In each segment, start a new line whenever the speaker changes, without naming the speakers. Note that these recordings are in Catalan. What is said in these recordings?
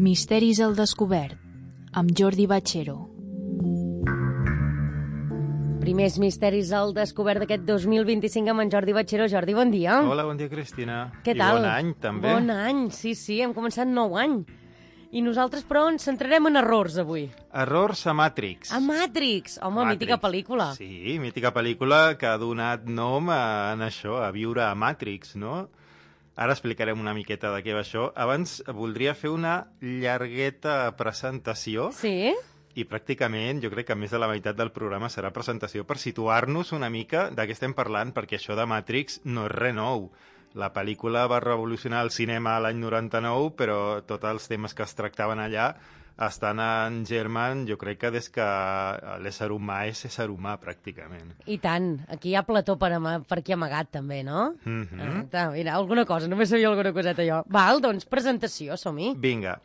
Misteris al descobert, amb Jordi Bachero.
Primers misteris al descobert d'aquest 2025 amb en Jordi Bachero. Jordi, bon dia.
Hola, bon dia, Cristina.
Què tal?
I bon any, també.
Bon any, sí, hem començat nou any. I nosaltres, però, ens centrarem en errors, avui.
Errors a Matrix.
A Matrix! Home, mítica pel·lícula.
Sí, mítica pel·lícula que ha donat nom a això, a viure a Matrix, no? Ara explicarem una miqueta de què va això. Abans voldria fer una llargueta presentació.
Sí?
I pràcticament jo crec que més de la meitat del programa serà presentació per situar-nos una mica de què estem parlant, perquè això de Matrix no és res nou. La pel·lícula va revolucionar el cinema l'any 99, però tots els temes que es tractaven allà estan en germen, jo crec que des que l'ésser humà és ésser humà, pràcticament.
I tant. Aquí hi ha Plató per aquí amagat, també, no? Mira, alguna cosa, només sabia alguna coseta jo. Val, doncs, presentació, som-hi.
Vinga,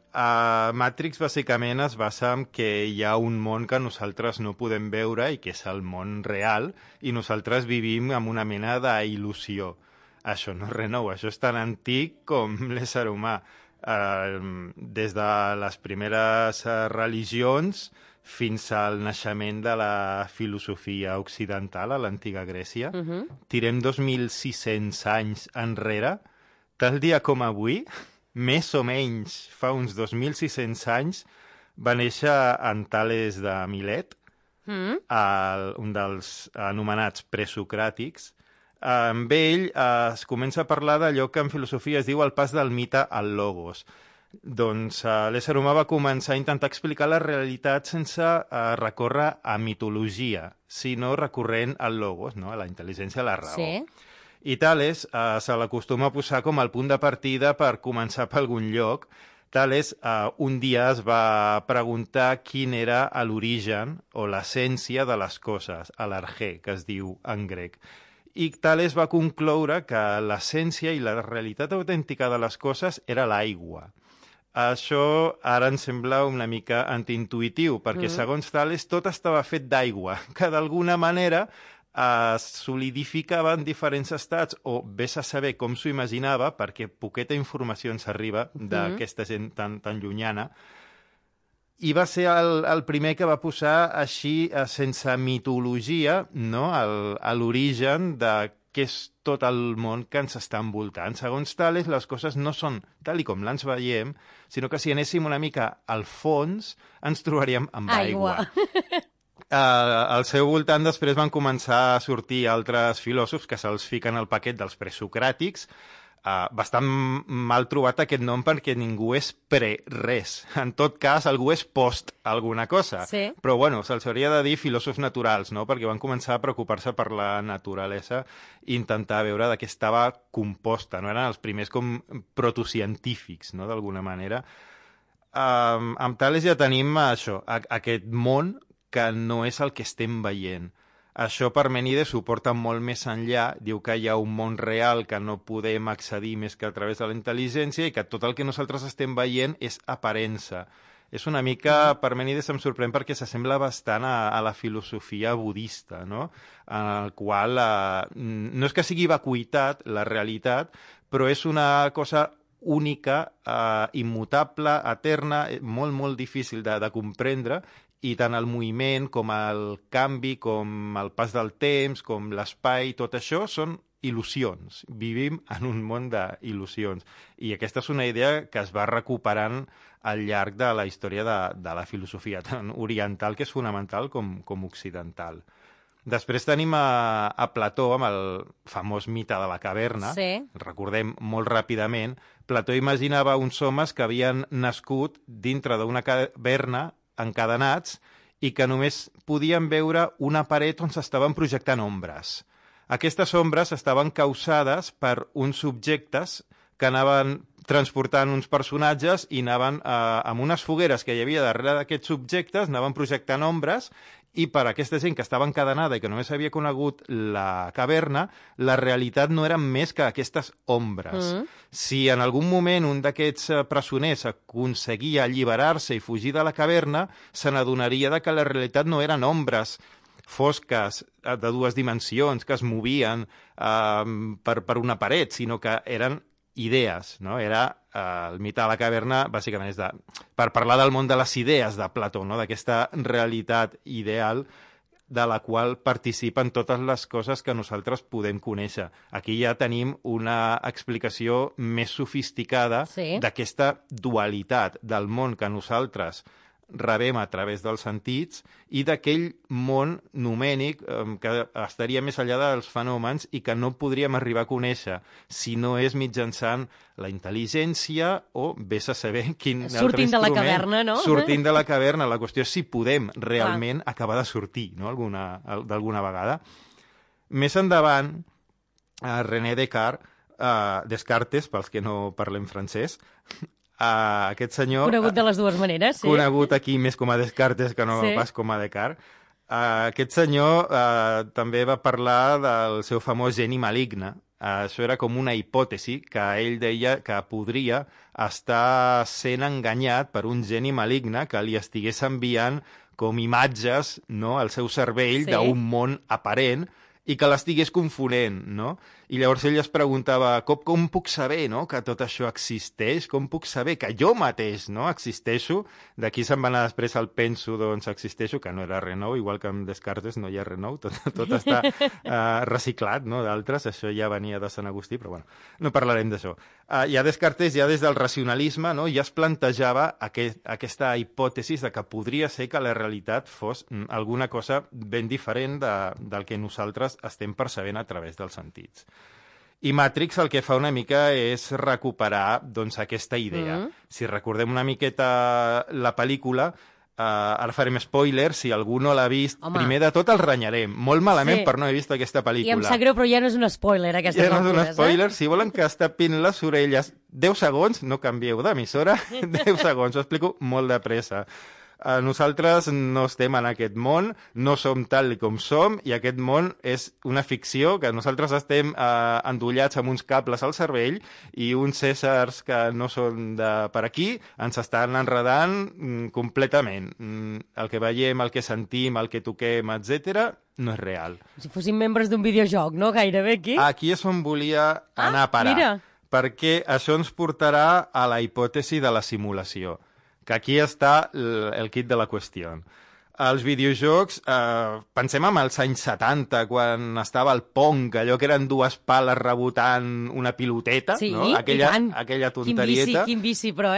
Matrix bàsicament es basa en que hi ha un món que nosaltres no podem veure i que és el món real, i nosaltres vivim amb una mena d'il·lusió. Això no és res nou, això és tan antic com l'ésser humà. Des de les primeres religions fins al naixement de la filosofia occidental a l'antiga Grècia. Tirem 2.600 anys enrere, tal dia com avui, més o menys fa uns 2.600 anys, va néixer en Tales de Milet, un dels anomenats presocràtics. Amb ell es comença a parlar d'allò que en filosofia es diu el pas del mite al logos. Doncs l'ésser humà va començar a intentar explicar la realitat sense recórrer a mitologia, sinó recorrent al logos, no? A la intel·ligència, a la raó.
Sí.
I Tales se l'acostuma a posar com el punt de partida per començar per algun lloc. Tales un dia es va preguntar quin era l'origen o l'essència de les coses, l'argé, que es diu en grec. I Tales va concloure que l'essència i la realitat autèntica de les coses era l'aigua. Això ara ens sembla una mica antiintuitiu, perquè segons Tales tot estava fet d'aigua, que d'alguna manera es solidificava en diferents estats, o vés a saber com s'ho imaginava, perquè poqueta informació ens arriba d'aquesta gent tan llunyana. I va ser el primer que va posar així, sense mitologia, no? A l'origen de què és tot el món que ens està envoltant. Segons Tales, les coses no són tal i com les veiem, sinó que si anéssim una mica al fons, ens trobaríem amb aigua. Al seu voltant després van començar a sortir altres filòsofs que se'ls fiquen al paquet dels presocràtics. Bastant mal trobat aquest nom perquè ningú és pre-res. En tot cas, algú és post alguna cosa.
Sí.
Però, bueno, se'ls hauria de dir filòsofs naturals, no? Perquè van començar a preocupar-se per la naturalesa i intentar veure de què estava composta. No eren els primers com protocientífics, no?, d'alguna manera. Amb Tales ja tenim això, aquest món que no és el que estem veient. Això Parmènides ho porta molt més enllà, diu que hi ha un món real que no podem accedir més que a través de la intel·ligència i que tot el que nosaltres estem veient és aparença. És una mica, Parmènides em sorprèn perquè s'assembla bastant a la filosofia budista, no? En el qual no és que sigui vacuïtat, la realitat, però és una cosa única, immutable, eterna, molt, molt difícil de comprendre, i tant el moviment com el canvi, com el pas del temps, com l'espai, tot això són il·lusions. Vivim en un món d'il·lusions. I aquesta és una idea que es va recuperant al llarg de la història de la filosofia, tant oriental, que és fonamental, com occidental. Després tenim a Plató amb el famós mite de la caverna.
Sí.
Recordem molt ràpidament. Plató imaginava uns homes que havien nascut dintre d'una caverna encadenats i que només podien veure una paret on s'estaven projectant ombres. Aquestes ombres estaven causades per uns subjectes que anaven transportant uns personatges i anaven amb unes fogueres que hi havia darrere d'aquests subjectes, anaven projectant ombres, i per aquesta gent que estava encadenada i que només havia conegut la caverna, la realitat no eren més que aquestes ombres. Si en algun moment un d'aquests presoners aconseguia alliberar-se i fugir de la caverna, se n'adonaria que la realitat no eren ombres fosques de dues dimensions que es movien per una paret, sinó que eren idees, no? Era el mite de la caverna, bàsicament, per parlar del món de les idees de Plató, no? D'aquesta realitat ideal de la qual participen totes les coses que nosaltres podem conèixer. Aquí ja tenim una explicació més sofisticada d'aquesta dualitat del món que nosaltres rebem a través dels sentits i d'aquell món numènic que estaria més enllà dels fenòmens i que no podríem arribar a conèixer si no és mitjançant la intel·ligència o vés a saber quin altre instrument.
Sortint de la caverna, no?
Sortint de la caverna. La qüestió és si podem realment acabar de sortir, no? D'alguna vegada. Més endavant, René Descartes, pels que no parlem francès, aquest senyor...
Conegut de les dues maneres, sí.
Conegut aquí més com a Descartes que no pas com a Descartes. Aquest senyor també va parlar del seu famós geni maligne. Això era com una hipòtesi que ell deia que podria estar sent enganyat per un geni maligne que li estigués enviant com imatges, no?, al seu cervell d'un món aparent i que l'estigués confonent, no? I llavors ell es preguntava, com puc saber, no?, que tot això existeix? Com puc saber que jo mateix, no?, existeixo? D'aquí se'n va anar després el penso, doncs existeixo, que no era res nou, igual que amb Descartes no hi ha res nou, tot està reciclat, no?, d'altres, això ja venia de Sant Agustí, però bueno, no parlarem d'això. Ja Descartes, ja des del racionalisme, no?, ja es plantejava aquesta hipòtesi de que podria ser que la realitat fos alguna cosa ben diferent del que nosaltres estem percebent a través dels sentits. I Matrix el que fa una mica és recuperar doncs, aquesta idea. Si recordem una miqueta la pel·lícula, ara farem spoiler, si algú no l'ha vist, primer de tot el renyarem, molt malament per no haver vist aquesta pel·lícula.
I em sap greu, però ja no és un spoiler, aquestes
altudes. Ja no és un spoiler, si volen que es tapin les orelles 10 segons, no canvieu d'emissora, 10 segons, ho explico molt de pressa. Nosaltres no estem en aquest món, no som tal com som, i aquest món és una ficció que nosaltres estem endollats amb uns cables al cervell i uns éssers que no són de per aquí ens estan enredant completament. El que veiem, el que sentim, el que toquem, etc., no és real.
Si fóssim membres d'un videojoc, no? Gairebé aquí.
Aquí és on volia anar a parar.
Mira.
Perquè això ens portarà a la hipòtesi de la simulació, que aquí està el kit de la qüestió. Els videojocs, pensem en els anys 70, quan estava el Pong, allò que eren dues pales rebotant una piloteta, no? Aquella tonterieta.
Quin vici, però,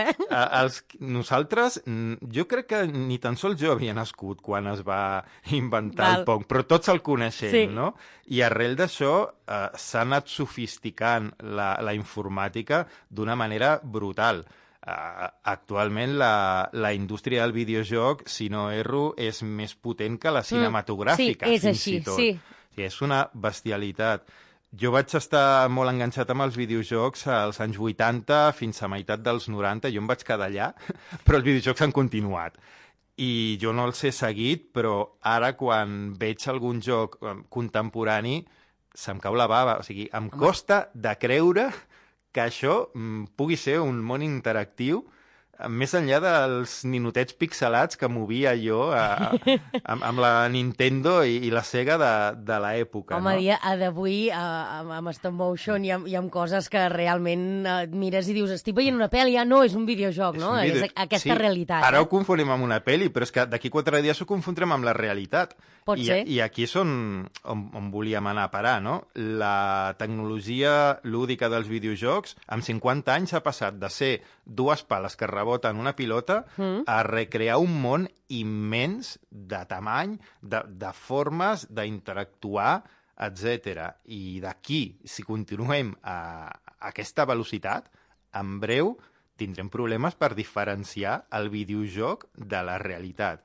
Nosaltres, jo crec que ni tan sols jo havia nascut quan es va inventar el Pong, però tots el coneixem, no? I arrel d'això s'ha anat sofisticant la informàtica d'una manera brutal. Actualment la indústria del videojoc, si no erro, és més potent que la cinematogràfica, fins i tot. És una bestialitat. Jo vaig estar molt enganxat amb els videojocs als anys 80 fins a meitat dels 90, jo em vaig quedar allà, però els videojocs han continuat. I jo no els he seguit, però ara quan veig algun joc contemporani se'm cau la bava, o sigui, em costa de creure que això pugui ser un món interactiu més enllà dels ninotets pixelats que movia jo amb la Nintendo i la Sega de l'època.
Home, a d'avui, amb stop motion i amb coses que realment mires i dius, estic veient una pel·li, no, és un videojoc, no? És aquesta realitat.
Ara ho confonem amb una pel·li, però és que d'aquí 4 dies ho confondrem amb la realitat.
Pot ser.
I aquí és on volíem anar a parar, no? La tecnologia lúdica dels videojocs, amb 50 anys ha passat de ser dues pales que reboten una pilota a recrear un món immens de tamany, de formes d'interactuar, etc. I d'aquí, si continuem a aquesta velocitat, en breu tindrem problemes per diferenciar el videojoc de la realitat.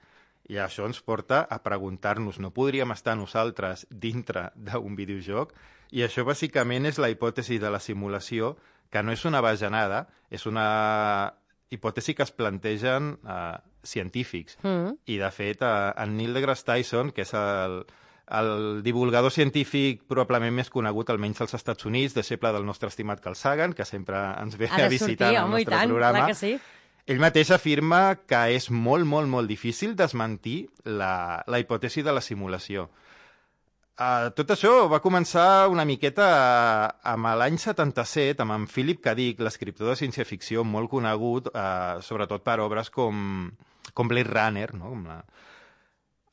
I això ens porta a preguntar-nos, no podríem estar nosaltres dintre d'un videojoc? I això bàsicament és la hipòtesi de la simulació, que no és una bajanada, és una hipòtesi que es plantegen científics. I, de fet, en Neil deGrasse Tyson, que és el divulgador científic probablement més conegut, almenys als Estats Units, deixeble del nostre estimat Carl Sagan, que sempre ens ve a visitar en el nostre programa, ell mateix afirma que és molt, molt, molt difícil desmentir la hipòtesi de la simulació. Tot això va començar una miqueta amb l'any 77, amb en Philip K. Dick, l'escriptor de ciència-ficció molt conegut, sobretot per obres com Blade Runner, no?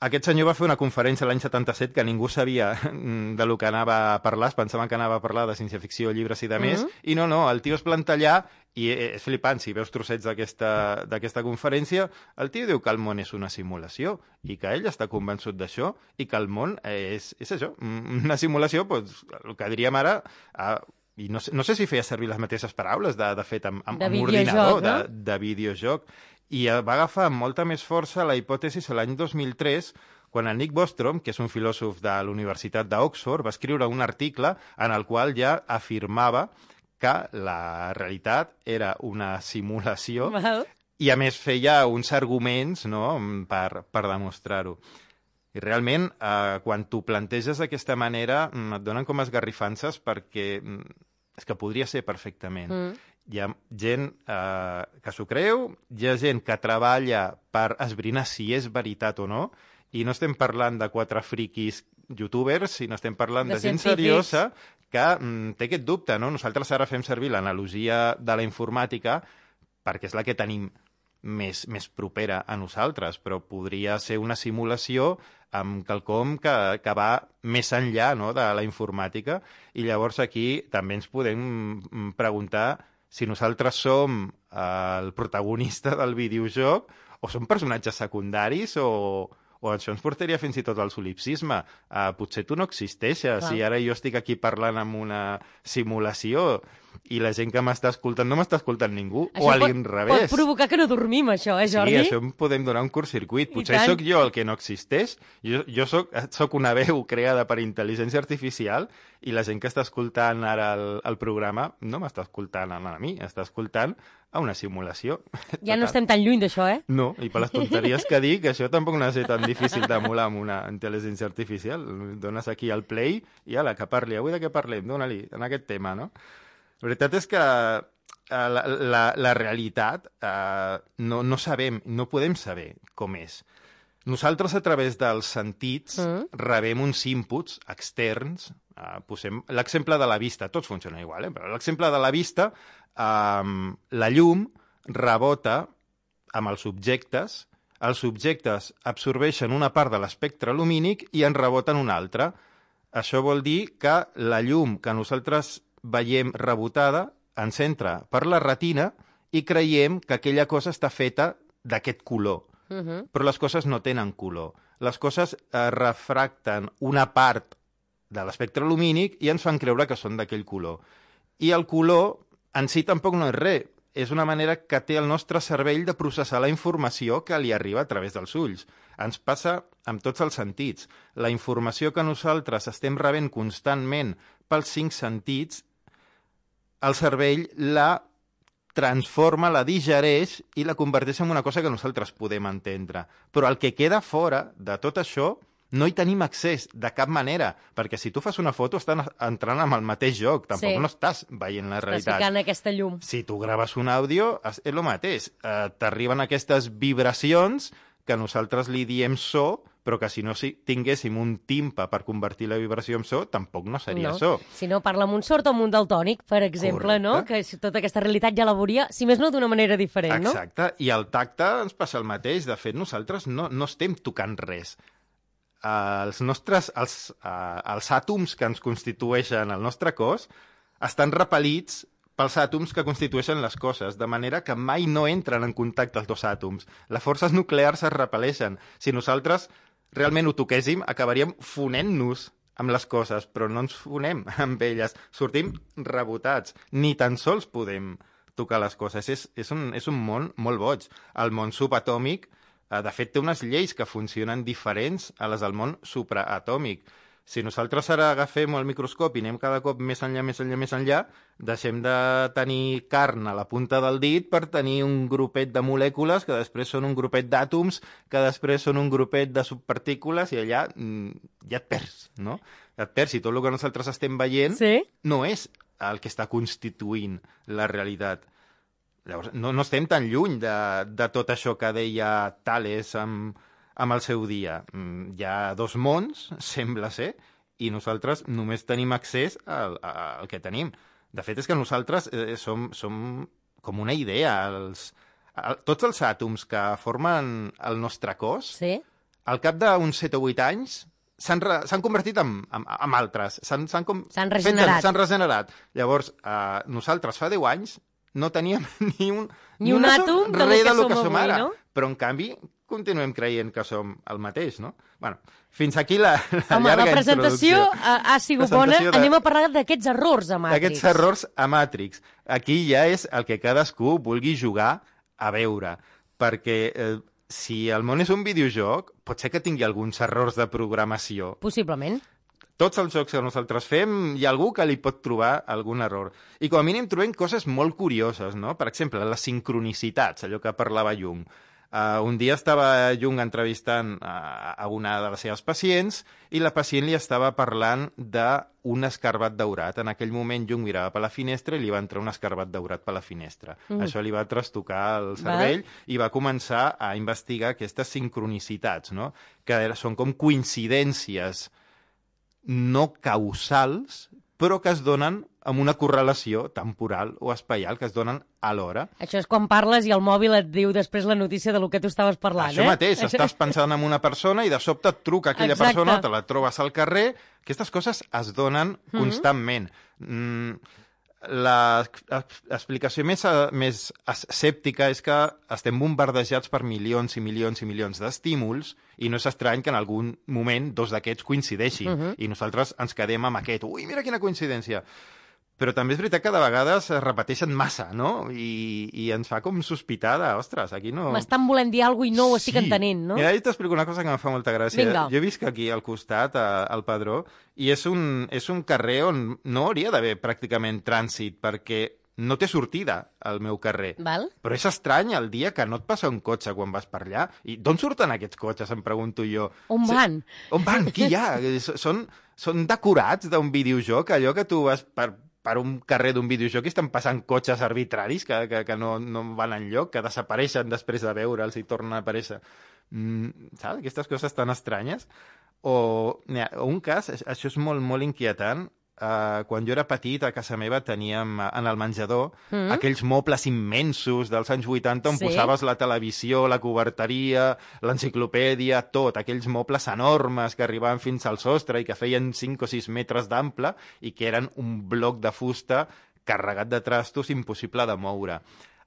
Aquest senyor va fer una conferència l'any 77 que ningú sabia de lo que anava a parlar, es pensaven que anava a parlar de ciència-ficció, llibres i de més, i no, el tio es planta allà i és flipant, si veus trossets d'aquesta conferència, el tio diu que el món és una simulació i que ell està convençut d'això i que el món és això, una simulació, doncs, el que diríem ara... I no sé si feia servir les mateixes paraules, de fet, amb ordinador, no? de videojoc. I va agafar amb molta més força la hipòtesi l'any 2003, quan el Nick Bostrom, que és un filòsof de la Universitat d'Oxford, va escriure un article en el qual ja afirmava que la realitat era una simulació i, a més, feia uns arguments, no?, per demostrar-ho. I realment, quan t'ho planteges d'aquesta manera, et donen com esgarrifances perquè és que podria ser perfectament. Hi ha gent que s'ho creu, hi ha gent que treballa per esbrinar si és veritat o no, i no estem parlant de 4 friquis youtubers, sinó estem parlant de gent seriosa que té aquest dubte, no? Nosaltres ara fem servir l'analogia de la informàtica perquè és la que tenim més propera a nosaltres, però podria ser una simulació amb quelcom que va més enllà, no?, de la informàtica, i llavors aquí també ens podem preguntar si nosaltres som el protagonista del videojoc o som personatges secundaris o això ens portaria fins i tot al solipsisme. Potser tu no existeixes. Si ara jo estic aquí parlant amb una simulació i la gent que m'està escoltant no m'està escoltant ningú, això o a l'inrevés.
Pot provocar que no dormim, això, Jordi?
Sí, això em podem donar un curt-circuit. Potser sóc jo el que no existeix. Jo sóc una veu creada per intel·ligència artificial i la gent que està escoltant ara el programa no m'està escoltant a mi, està escoltant a una simulació.
Ja no estem tan lluny d'això, eh?
No, i per les tonteries que dic, això tampoc no ha de ser tan difícil d'emular amb una intel·ligència artificial. Dones aquí al play i ala, que parli. Avui de què parlem? Dóna-li, en aquest tema, no? La veritat és que la realitat no sabem, no podem saber com és. Nosaltres, a través dels sentits, rebem uns inputs externs. Posem l'exemple de la vista, tots funcionen igual, però l'exemple de la vista, la llum rebota amb els objectes absorbeixen una part de l'espectre lumínic i en reboten una altra. Això vol dir que la llum que nosaltres veiem rebotada ens entra per la retina i creiem que aquella cosa està feta d'aquest color. Però les coses no tenen color. Les coses refracten una part de l'espectre lumínic i ens fan creure que són d'aquell color. I el color en si tampoc no és res. És una manera que té el nostre cervell de processar la informació que li arriba a través dels ulls. Ens passa amb tots els sentits. La informació que nosaltres estem rebent constantment pels 5 sentits, el cervell la transforma, la digereix i la converteix en una cosa que nosaltres podem entendre. Però el que queda fora de tot això no hi tenim accés de cap manera, perquè si tu fas una foto estàs entrant en el mateix joc, tampoc no estàs veient la realitat.
Estàs ficant aquesta llum.
Si tu graves un àudio, és el mateix. T'arriben aquestes vibracions que nosaltres li diem so, però que si no tinguéssim un timpa per convertir la vibració en so, tampoc no seria so.
Si no, parla amb un sord o amb un daltònic, per exemple, no? Que tota aquesta realitat ja la veuria, si més no, d'una manera diferent, no?
Exacte, i al tacte ens passa el mateix. De fet, nosaltres no estem tocant res. Els àtoms que ens constitueixen el nostre cos estan repel·lits pels àtoms que constitueixen les coses, de manera que mai no entren en contacte els 2 àtoms. Les forces nuclears es repel·leixen. Si nosaltres realment ho toquéssim, acabaríem fonent-nos amb les coses, però no ens fonem amb elles. Sortim rebotats. Ni tan sols podem tocar les coses. És un món molt boig. El món subatòmic, de fet, té unes lleis que funcionen diferents a les del món supraatòmic. Si nosaltres ara agafem el microscopi i anem cada cop més enllà, deixem de tenir carn a la punta del dit per tenir un grupet de molècules que després són un grupet d'àtoms, que després són un grupet de subpartícules, i allà ja et perds, no? Et perds, i tot el que nosaltres estem veient no és el que està constituint la realitat. Llavors, no estem tan lluny de tot això que deia Tales amb el seu dia. Hi ha 2 mons, sembla ser, i nosaltres només tenim accés al que tenim. De fet, és que nosaltres som com una idea. Tots els àtoms que formen el nostre cos,
Sí.
al cap d'uns 7 o 8 anys, s'han convertit en altres. S'han
regenerat.
S'han regenerat. Llavors, nosaltres fa 10 anys no teníem ni un
àtom
del que som
avui,
ara.
no?
Però, en canvi, continuem creient que som el mateix, no? Bueno, fins aquí la
Home,
llarga
la presentació
introducció.
ha sigut bona. Anem a parlar d'aquests errors a Matrix.
Aquests errors a Matrix. Aquí ja és el que cadascú vulgui jugar a veure, perquè si el món és un videojoc, pot ser que tingui alguns errors de programació.
Possiblement.
Tots els jocs que nosaltres fem, hi ha algú que li pot trobar algun error. I com a mínim trobem coses molt curioses, no? Per exemple, les sincronicitats, allò que parlava Jung. Un dia estava Jung entrevistant a una de les seves pacients i la pacient li estava parlant d'un escarbat daurat. En aquell moment Jung mirava per la finestra i li va entrar un escarbat daurat per la finestra. Això li va trastocar el cervell i va començar a investigar aquestes sincronicitats, no? Que són com coincidències no causals, però que es donen amb una correlació temporal o espaial, que es donen alhora.
Això és quan parles i el mòbil et diu després la notícia de lo que tu estaves parlant,
Això mateix, estàs pensant en una persona i de sobte et truca aquella persona, te la trobes al carrer. Aquestes coses es donen constantment. L'explicació més escèptica és que estem bombardejats per milions i milions i milions d'estímuls i no és estrany que en algun moment dos d'aquests coincideixin i nosaltres ens quedem amb aquest. Ui, mira quina coincidència! Però també és veritat que de vegades es repeteixen massa, no? I ens fa com sospitar de, ostres, aquí no...
M'estan volent dir alguna cosa i no ho estic entenent, no?
Mira, jo t'explico una cosa que em fa molta gràcia.
Vinga.
Jo visc aquí al costat, al Padró, i és un carrer on no hauria d'haver pràcticament trànsit, perquè no té sortida al meu carrer.
Val.
Però és estrany el dia que no et passa un cotxe quan vas per allà. I d'on surten aquests cotxes, em pregunto jo.
On van?
On van? Qui hi ha? Són decorats d'un videojoc, allò que tu vas per un carrer d'un videojoc i estan passant cotxes arbitraris que no van enlloc, que desapareixen després de veure'ls i tornen a aparèixer. Saps? Aquestes coses tan estranyes. O un cas, això és molt, molt inquietant. Quan jo era petit, a casa meva teníem en el menjador aquells mobles immensos dels anys 80 on posaves la televisió, la coberteria, l'enciclopèdia, tot, aquells mobles enormes que arribaven fins al sostre i que feien 5 o 6 metres d'ample i que eren un bloc de fusta carregat de trastos impossible de moure.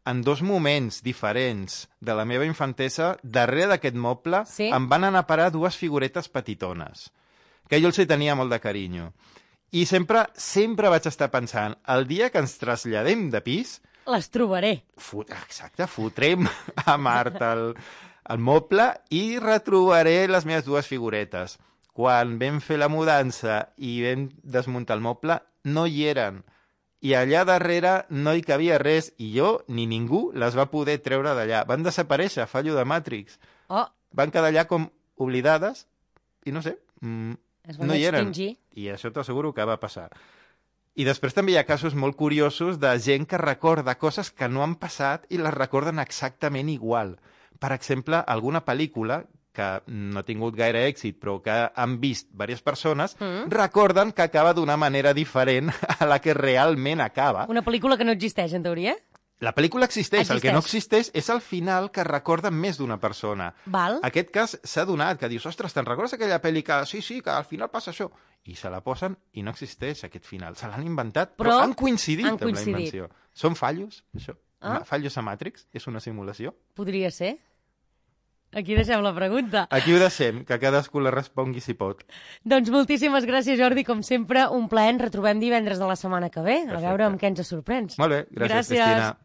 En 2 moments diferents de la meva infantesa, darrere d'aquest moble em van anar a parar 2 figuretes petitones, que jo els hi tenia molt de carinyo. I sempre vaig estar pensant, el dia que ens traslladem de pis...
Les trobaré.
Exacte, fotrem a Mart el moble i retrobaré les meves 2 figuretes. Quan vam fer la mudança i vam desmuntar el moble, no hi eren. I allà darrere no hi cabia res, i jo ni ningú les va poder treure d'allà. Van desaparèixer, fallo de Matrix. Van quedar allà com oblidades i no sé... no hi eren, i això t'asseguro que va passar. I després també hi ha casos molt curiosos de gent que recorda coses que no han passat i les recorden exactament igual. Per exemple, alguna pel·lícula que no ha tingut gaire èxit però que han vist diverses persones, recorden que acaba d'una manera diferent a la que realment acaba.
Una pel·lícula que no existeix, en teoria?
La pel·lícula existeix, el que no existeix és el final que recorda més d'una persona.
Val.
Aquest cas s'ha donat, que dius, ostres, te'n recordes aquella pel·li que sí, que al final passa això? I se la posen i no existeix aquest final. Se l'han inventat, però han coincidit amb la invenció. Són fallos, això? Fallos a Matrix? És una simulació?
Podria ser. Aquí deixem la pregunta.
Aquí ho deixem, que cadascú la respongui si pot.
Doncs moltíssimes gràcies, Jordi. Com sempre, un plaer. Ens retrobem divendres de la setmana que ve.
Perfecte.
A veure amb què ens sorprens.
Molt bé, gràcies. Cristina.